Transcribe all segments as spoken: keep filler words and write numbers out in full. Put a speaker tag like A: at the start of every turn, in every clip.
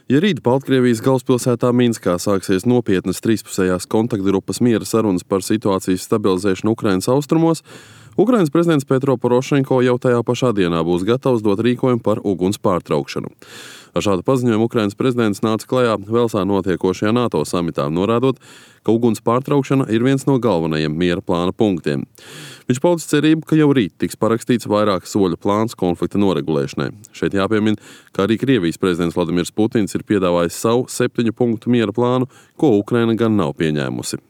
A: Ja rīt Baltkrievijas galvaspilsētā Minskā sāksies nopietnas trīspusējās kontaktgrupas miera sarunas par situācijas stabilizēšanu Ukrainas austrumos, Ukrainas prezidents Petro Porošenko jau tajā pašā dienā būs gatavs dot rīkojumu par uguns pārtraukšanu. Ar šādu paziņojumu Ukrainas prezidents nāca klajā Velsā notiekošajā NATO samitā, norādot, ka uguns pārtraukšana ir viens no galvenajiem miera plāna punktiem. Viņš paudis cerību, ka jau rīt tiks parakstīts vairāku soļu plāns konflikta noregulēšanai. Šeit jāpiemina, ka arī Krievijas prezidents Vladimirs Putins ir piedāvājis savu septiņu punktu miera plānu, ko Ukraina gan nav pieņēmusi.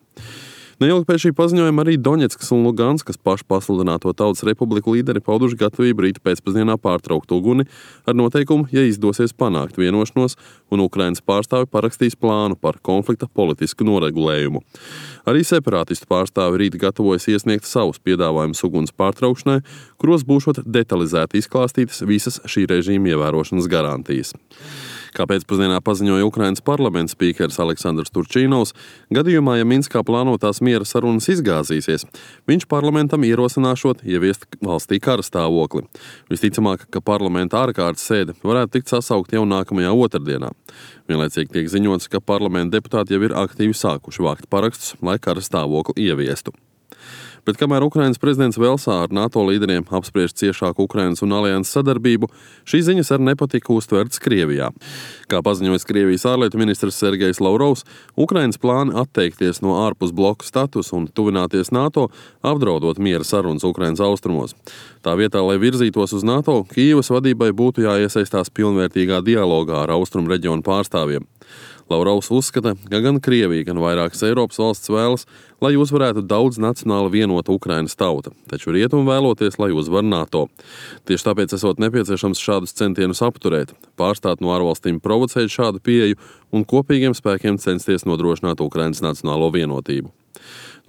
A: Neilgi pēc šī paziņojuma arī Doņetskas un Luganskas pašu pasludināto Tautas Republiku līderi pauduši gatavību rīt pēcpusdienā pārtraukt uguni ar noteikumu, ja izdosies panākt vienošanos un Ukrainas pārstāvi parakstīs plānu par konflikta politisku noregulējumu. Arī separātistu pārstāvi rīt gatavojas iesniegt savus piedāvājumus uguns pārtraukšanai, kuros būšot detalizēti izklāstītas visas šī režīma ievērošanas garantijas. Kā pēcpusdienā paziņoja Ukrainas parlamenta spīkeris Aleksandrs Turčīnovs, gadījumā, ja Minskā plānotās miera sarunas izgāzīsies, viņš parlamentam ierosināšot ieviest valstī kara stāvokli. Visticamāk, ka parlamenta ārkārtas sēde varētu tikt sasaukt jau nākamajā otrdienā. Vienlaicīgi tiek ziņots, ka parlamenta deputāti jau ir aktīvi sākuši vākt parakstus, lai kara stāvokli ieviestu. Bet kamēr Ukrainas prezidents Velsā ar NATO līderiem apspriež ciešāku Ukrainas un alianses sadarbību, šīs ziņas ar nepatiku uztvertas Krievijā. Kā paziņojas Krievijas ārlietu ministrs Sergejs Lavrovs, Ukrainas plāni atteikties no ārpus bloka statusa un tuvināties NATO, apdraudot miera sarunas Ukrainas austrumos. Tā vietā, lai virzītos uz NATO, Kijevas vadībai būtu jāiesaistās pilnvērtīgā dialogā ar austrumu reģionu pārstāvjiem. Lavrovs uzskata, ka gan Krievija, gan vairākas Eiropas valsts vēlas, lai uzvarētu daudz nacionāli vienota Ukrainas tauta, taču rietumi vēloties, lai uzvar NATO. Tieši tāpēc esot nepieciešams šādus centienus apturēt, pārstāt no ārvalstīm provocēt šādu pieeju un kopīgiem spēkiem censties nodrošināt Ukrainas nacionālo vienotību.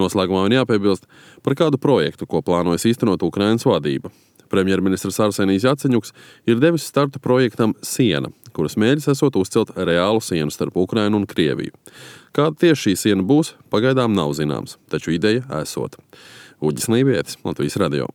A: Noslēgumā man jāpiebilst par kādu projektu, ko plānojas īstenot Ukrainas vadība. Premjerministrs Arsenijs Jaceņuks ir devis startu projektam Siena, kuras mērķis esot uzcelt reālu sienu starp Ukrainu un Krieviju. Kāda tieši šī siena būs, pagaidām nav zināms, taču ideja esot. Uģis Lībietis, Latvijas radio.